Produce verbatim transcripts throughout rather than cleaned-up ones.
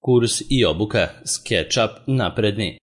Kurs i obuka SketchUp napredni.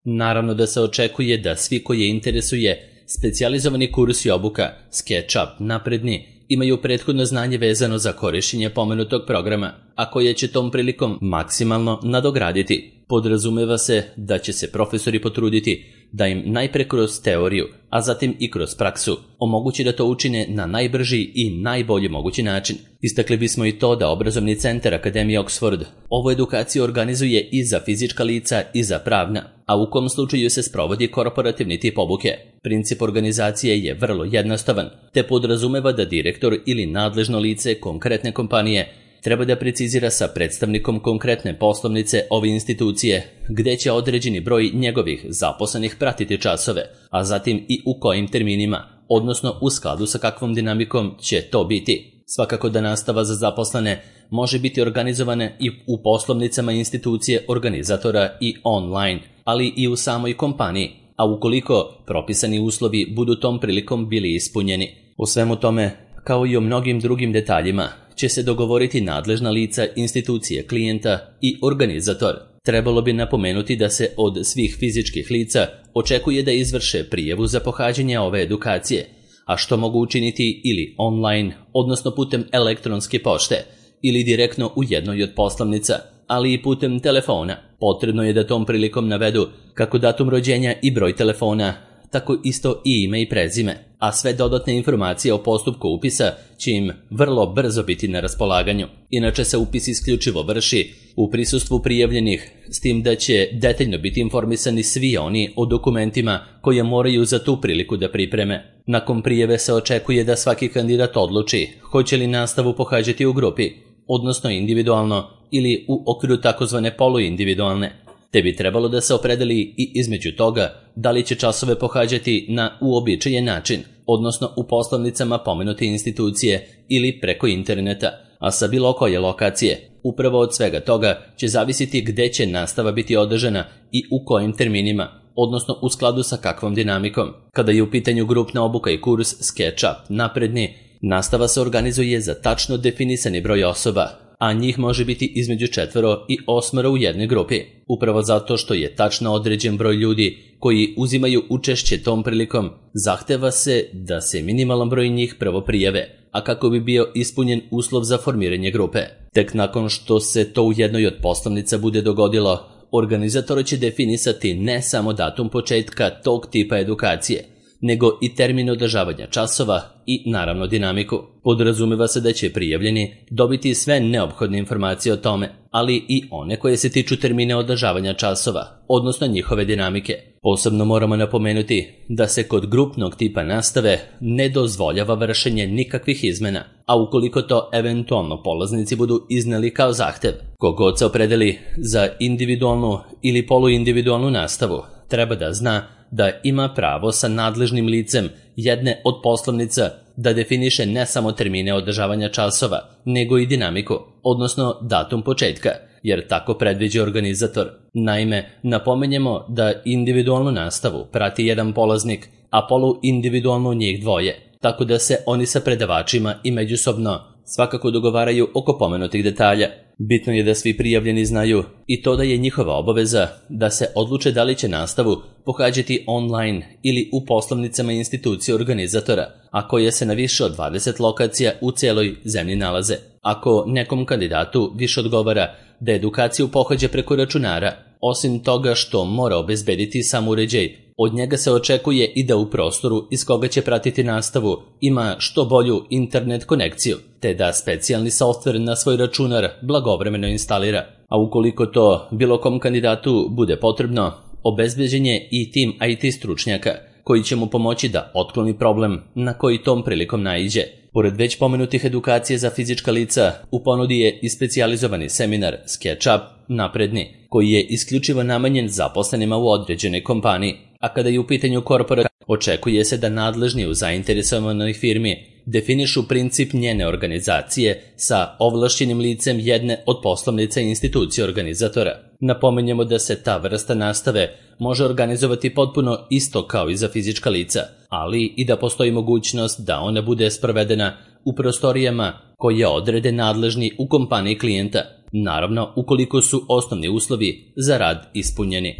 Naravno da se očekuje da svi koje interesuje specijalizovani kurs i obuka SketchUp napredni imaju prethodno znanje vezano za korišćenje pomenutog programa, a koje će tom prilikom maksimalno nadograditi. Podrazumeva se da će se profesori potruditi da im najpre kroz teoriju, a zatim i kroz praksu, omogući da to učine na najbrži i najbolji mogući način. Istakli bismo i to da obrazovni centar Akademije Oxford ovu edukaciju organizuje i za fizička lica i za pravna, a u kom slučaju se sprovodi korporativni tip obuke. Princip organizacije je vrlo jednostavan, te podrazumeva da direktor ili nadležno lice konkretne kompanije treba da precizira sa predstavnikom konkretne poslovnice ove institucije gde će određeni broj njegovih zaposlenih pratiti časove, a zatim i u kojim terminima, odnosno u skladu sa kakvom dinamikom će to biti. Svakako da nastava za zaposlene može biti organizovana i u poslovnicama institucije organizatora i online, ali i u samoj kompaniji, a ukoliko propisani uslovi budu tom prilikom bili ispunjeni. U svemu tome, kao i o mnogim drugim detaljima, će se dogovoriti nadležna lica institucije klijenta i organizator. Trebalo bi napomenuti da se od svih fizičkih lica očekuje da izvrše prijavu za pohađanje ove edukacije, a što mogu učiniti ili online, odnosno putem elektronske pošte, ili direktno u jednoj od poslovnica, ali i putem telefona. Potrebno je da tom prilikom navedu kako datum rođenja i broj telefona, tako isto i ime i prezime, a sve dodatne informacije o postupku upisa će im vrlo brzo biti na raspolaganju. Inače se upis isključivo vrši u prisustvu prijavljenih, s tim da će detaljno biti informisani svi oni o dokumentima koje moraju za tu priliku da pripreme. Nakon prijave se očekuje da svaki kandidat odluči hoće li nastavu pohađati u grupi, odnosno individualno ili u okviru takozvane poluindividualne, te bi trebalo da se opredeli i između toga da li će časove pohađati na uobičajen način, odnosno u poslovnicama pomenute institucije ili preko interneta, a sa bilo koje lokacije. Upravo od svega toga će zavisiti gde će nastava biti održana i u kojim terminima, odnosno u skladu sa kakvom dinamikom. Kada je u pitanju grupna obuka i kurs SketchUp napredni, nastava se organizuje za tačno definisani broj osoba, a njih može biti između četvoro i osmoro u jednoj grupi, upravo zato što je tačno određen broj ljudi koji uzimaju učešće tom prilikom. Zahteva se da se minimalan broj njih prvo prijave, a kako bi bio ispunjen uslov za formiranje grupe. Tek nakon što se to u jednoj od poslovnica bude dogodilo, organizator će definisati ne samo datum početka tog tipa edukacije, nego i termin održavanja časova i naravno dinamiku. Podrazumeva se da će prijavljeni dobiti sve neophodne informacije o tome, ali i one koje se tiču termine održavanja časova, odnosno njihove dinamike. Posebno moramo napomenuti da se kod grupnog tipa nastave ne dozvoljava vršenje nikakvih izmena, a ukoliko to eventualno polaznici budu izneli kao zahtev, kogod se opredeli za individualnu ili poluindividualnu nastavu, treba da zna da ima pravo sa nadležnim licem jedne od poslovnica da definiše ne samo termine održavanja časova, nego i dinamiku, odnosno datum početka, jer tako predviđa organizator. Naime, napomenjemo da individualnu nastavu prati jedan polaznik, a poluindividualnu njih dvoje, tako da se oni sa predavačima i međusobno svakako dogovaraju oko pomenutih detalja. Bitno je da svi prijavljeni znaju i to da je njihova obaveza da se odluče da li će nastavu pohađati online ili u poslovnicama institucije organizatora, a koje se na više od dvadeset lokacija u celoj zemlji nalaze. Ako nekom kandidatu više odgovara da edukaciju pohađa preko računara, osim toga što mora obezbediti sam uređaj, od njega se očekuje i da u prostoru iz koga će pratiti nastavu ima što bolju internet konekciju, te da specijalni softver na svoj računar blagovremeno instalira. A ukoliko to bilo kom kandidatu bude potrebno, obezbeđen je i tim I T stručnjaka koji će mu pomoći da otkloni problem na koji tom prilikom naiđe. Pored već pomenutih edukacije za fizička lica, u ponudi je i specijalizovani seminar SketchUp napredni, koji je isključivo namenjen zaposlenima u određenoj kompaniji, a kada je u pitanju korporacija, očekuje se da nadležni u zainteresovanoj firmi definišu princip njene organizacije sa ovlašćenim licem jedne od poslovnica i institucije organizatora. Napomenjemo da se ta vrsta nastave može organizovati potpuno isto kao i za fizička lica, ali i da postoji mogućnost da ona bude sprovedena u prostorijama koje odrede nadležni u kompaniji klijenta. naravno ukoliko su osnovni uslovi za rad ispunjeni.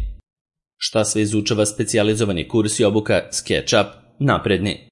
Šta sve izučava specijalizovani kurs i obuka SketchUp napredni?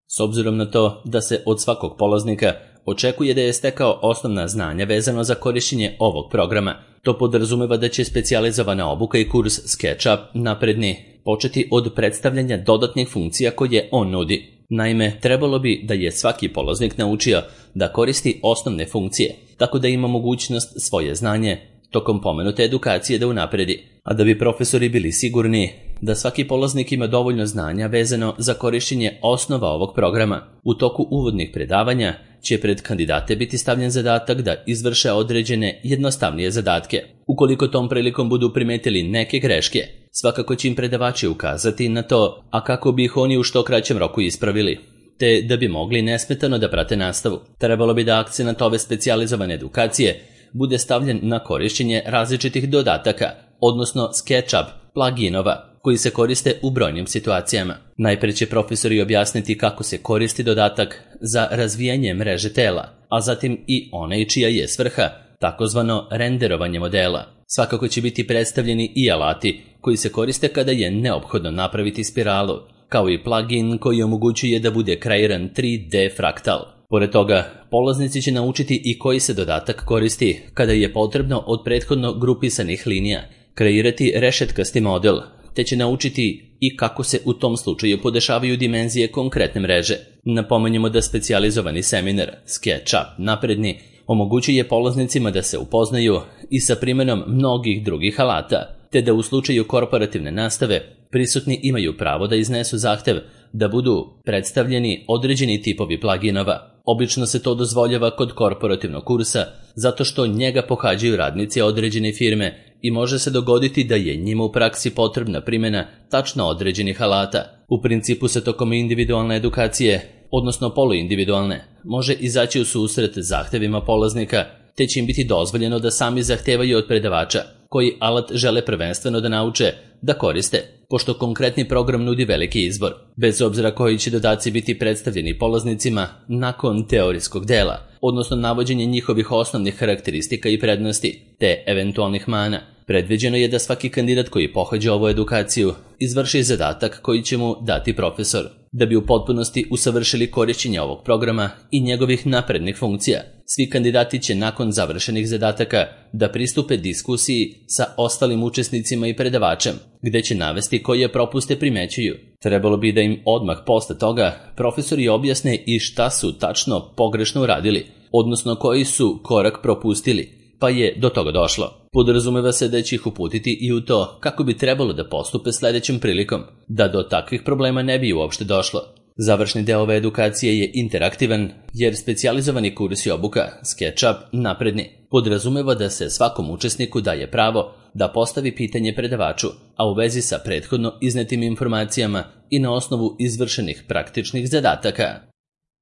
S obzirom na to da se od svakog polaznika očekuje da je stekao osnovna znanja vezano za korištenje ovog programa, to podrazumeva da će specijalizovana obuka i kurs SketchUp napredni početi od predstavljanja dodatnih funkcija koje on nudi. Naime, trebalo bi da je svaki polaznik naučio da koristi osnovne funkcije, tako da ima mogućnost svoje znanje tokom pomenute edukacije da unapredi, a da bi profesori bili sigurni da svaki polaznik ima dovoljno znanja vezano za korištenje osnova ovog programa. U toku uvodnih predavanja će pred kandidate biti stavljen zadatak da izvrše određene jednostavnije zadatke. Ukoliko tom prilikom budu primetili neke greške, svakako će im predavači ukazati na to, a kako bi ih oni u što kraćem roku ispravili, te da bi mogli nesmetano da prate nastavu. Trebalo bi da akcenat ove specijalizovane edukacije bude stavljen na korištenje različitih dodataka, odnosno SketchUp pluginova, koji se koriste u brojnim situacijama. Najpre će profesori objasniti kako se koristi dodatak za razvijanje mreže tela, a zatim i onaj čija je svrha, takozvano renderovanje modela. Svakako će biti predstavljeni i alati koji se koriste kada je neophodno napraviti spiralu, kao i plugin koji omogućuje da bude kreiran tri D fraktal. Pored toga, polaznici će naučiti i koji se dodatak koristi kada je potrebno od prethodno grupisanih linija kreirati rešetkasti model, te će naučiti i kako se u tom slučaju podešavaju dimenzije konkretne mreže. Napomenjemo da specijalizovani seminar SketchUp napredni omogućuje polaznicima da se upoznaju i sa primjenom mnogih drugih alata, te da u slučaju korporativne nastave prisutni imaju pravo da iznesu zahtev da budu predstavljeni određeni tipovi pluginova. Obično se to dozvoljava kod korporativnog kursa zato što njega pohađaju radnici određene firme i može se dogoditi da je njima u praksi potrebna primjena tačno određenih alata. U principu se tokom individualne edukacije, odnosno poluindividualne, može izaći u susret zahtevima polaznika, te će im biti dozvoljeno da sami zahtevaju od predavača koji alat žele prvenstveno da nauče da koriste, pošto konkretni program nudi veliki izbor, bez obzira koji će dodaci biti predstavljeni polaznicima nakon teorijskog dela, odnosno navođenje njihovih osnovnih karakteristika i prednosti, te eventualnih mana. Predviđeno je da svaki kandidat koji pohađa ovu edukaciju izvrši zadatak koji će mu dati profesor. Da bi u potpunosti usavršili korišćenje ovog programa i njegovih naprednih funkcija, svi kandidati će nakon završenih zadataka da pristupe diskusiji sa ostalim učesnicima i predavačem, gde će navesti koje propuste primećuju. Trebalo bi da im odmah posle toga profesori objasne i šta su tačno pogrešno uradili, odnosno koji su korak propustili, pa je do toga došlo. Podrazumeva se da će ih uputiti i u to kako bi trebalo da postupe sledećom prilikom, da do takvih problema ne bi uopšte došlo. Završni deo ove edukacije je interaktivan, jer specijalizovani kurs i obuka SketchUp napredni podrazumeva da se svakom učesniku daje pravo da postavi pitanje predavaču, a u vezi sa prethodno iznetim informacijama i na osnovu izvršenih praktičnih zadataka.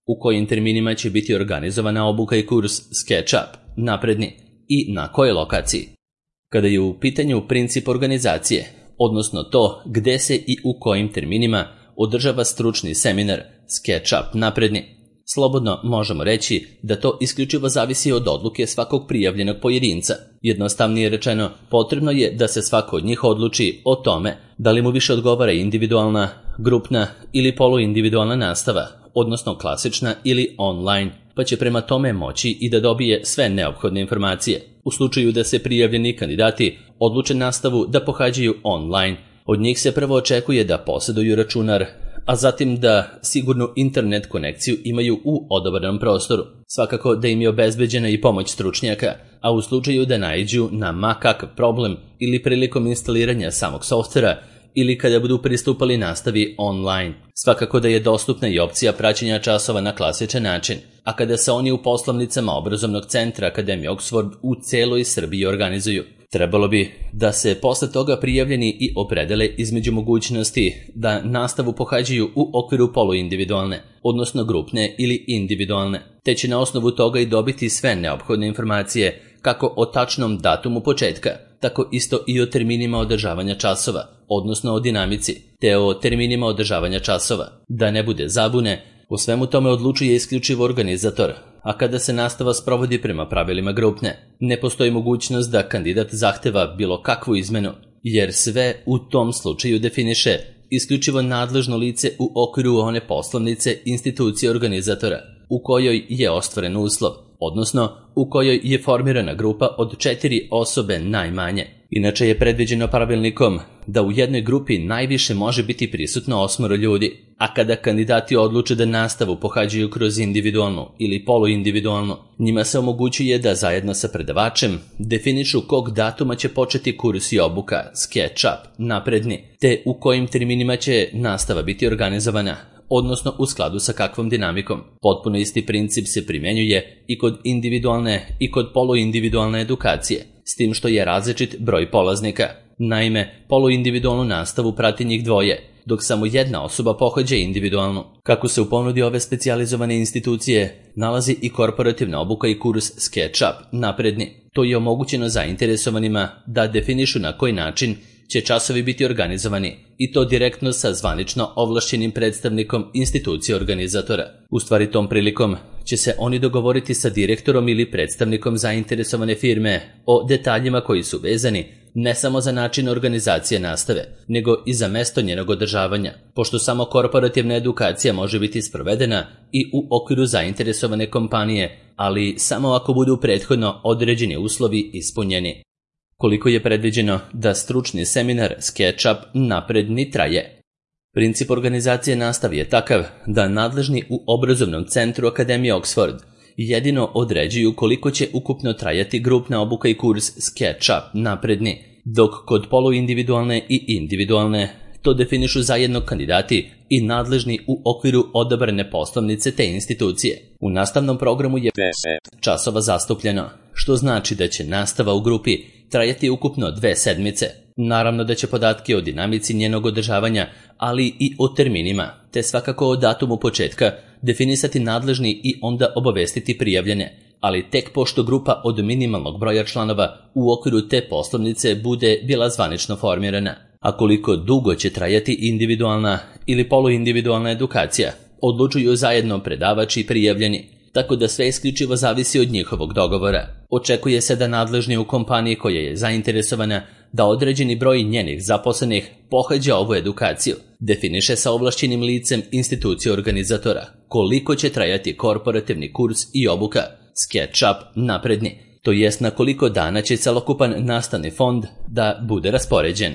U kojim terminima će biti organizovana obuka i kurs SketchUp napredni i na kojoj lokaciji? Kada je u pitanju princip organizacije, odnosno to gde se i u kojim terminima održava stručni seminar SketchUp napredni, slobodno možemo reći da to isključivo zavisi od odluke svakog prijavljenog pojedinca. Jednostavnije rečeno, potrebno je da se svako od njih odluči o tome da li mu više odgovara individualna, grupna ili poluindividualna nastava, odnosno klasična ili online, pa će prema tome moći i da dobije sve neophodne informacije. U slučaju da se prijavljeni kandidati odluče nastavu da pohađaju online, od njih se prvo očekuje da posjeduju računar, a zatim da sigurnu internet konekciju imaju u odabranom prostoru. Svakako da im je obezbeđena i pomoć stručnjaka, a u slučaju da naiđu na ma kakav problem ili prilikom instaliranja samog softvera ili kada budu pristupali nastavi online. Svakako da je dostupna i opcija praćenja časova na klasičan način, a kada se oni u poslovnicama obrazovnog centra Akademije Oxford u celoj Srbiji organizuju. Trebalo bi da se posle toga prijavljeni i opredele između mogućnosti da nastavu pohađaju u okviru poluindividualne, odnosno grupne ili individualne, te će na osnovu toga i dobiti sve neophodne informacije kako o tačnom datumu početka, tako isto i o terminima održavanja časova, odnosno o dinamici, te o terminima održavanja časova. Da ne bude zabune, u svemu tome odlučuje isključivo organizator, a kada se nastava sprovodi prema pravilima grupne, ne postoji mogućnost da kandidat zahteva bilo kakvu izmenu, jer sve u tom slučaju definiše isključivo nadležno lice u okviru one poslovnice institucije organizatora u kojoj je ostvaren uslov, odnosno u kojoj je formirana grupa od četiri osobe najmanje. Inače je predviđeno pravilnikom da u jednoj grupi najviše može biti prisutno osmoro ljudi, a kada kandidati odluče da nastavu pohađaju kroz individualnu ili poluindividualnu, njima se omogućuje da zajedno sa predavačem definišu kog datuma će početi kurs i obuka, SketchUp, napredni, te u kojim terminima će nastava biti organizovana, odnosno u skladu sa kakvom dinamikom. Potpuno isti princip se primjenjuje i kod individualne i kod poluindividualne edukacije, s tim što je različit broj polaznika. Naime, poluindividualnu nastavu prati njih dvoje, dok samo jedna osoba pohađa individualnu. Kako se u ponudi ove specijalizovane institucije nalazi i korporativna obuka i kurs SketchUp, napredni. To je omogućeno zainteresovanima da definišu na koji način će časovi biti organizovani, i to direktno sa zvanično ovlašćenim predstavnikom institucije organizatora. U stvari tom prilikom će se oni dogovoriti sa direktorom ili predstavnikom zainteresovane firme o detaljima koji su vezani ne samo za način organizacije nastave, nego i za mesto njenog održavanja, pošto samo korporativna edukacija može biti sprovedena i u okviru zainteresovane kompanije, ali samo ako budu prethodno određeni uslovi ispunjeni. Koliko je predviđeno da stručni seminar SketchUp napredni traje? Princip organizacije nastave je takav da nadležni u obrazovnom centru Akademije Oxford jedino određuju koliko će ukupno trajati grupna obuka i kurs SketchUp napredni, dok kod poluindividualne i individualne to definišu zajedno kandidati i nadležni u okviru odabrane poslovnice te institucije. U nastavnom programu je deset časova zastupljeno, što znači da će nastava u grupi trajati ukupno dve sedmice. Naravno da će podatke o dinamici njenog održavanja, ali i o terminima, te svakako o datumu početka, definisati nadležni i onda obavestiti prijavljene, ali tek pošto grupa od minimalnog broja članova u okviru te poslovnice bude bila zvanično formirana. A koliko dugo će trajati individualna ili poluindividualna edukacija, odlučuju zajedno predavači i prijavljeni, tako da sve isključivo zavisi od njihovog dogovora. Očekuje se da nadležni u kompaniji koja je zainteresovana da određeni broj njenih zaposlenih pohađa ovu edukaciju, definiše sa ovlašćenim licem institucije organizatora koliko će trajati korporativni kurs i obuka, SketchUp napredni, to jest na koliko dana će celokupan nastavni fond da bude raspoređen.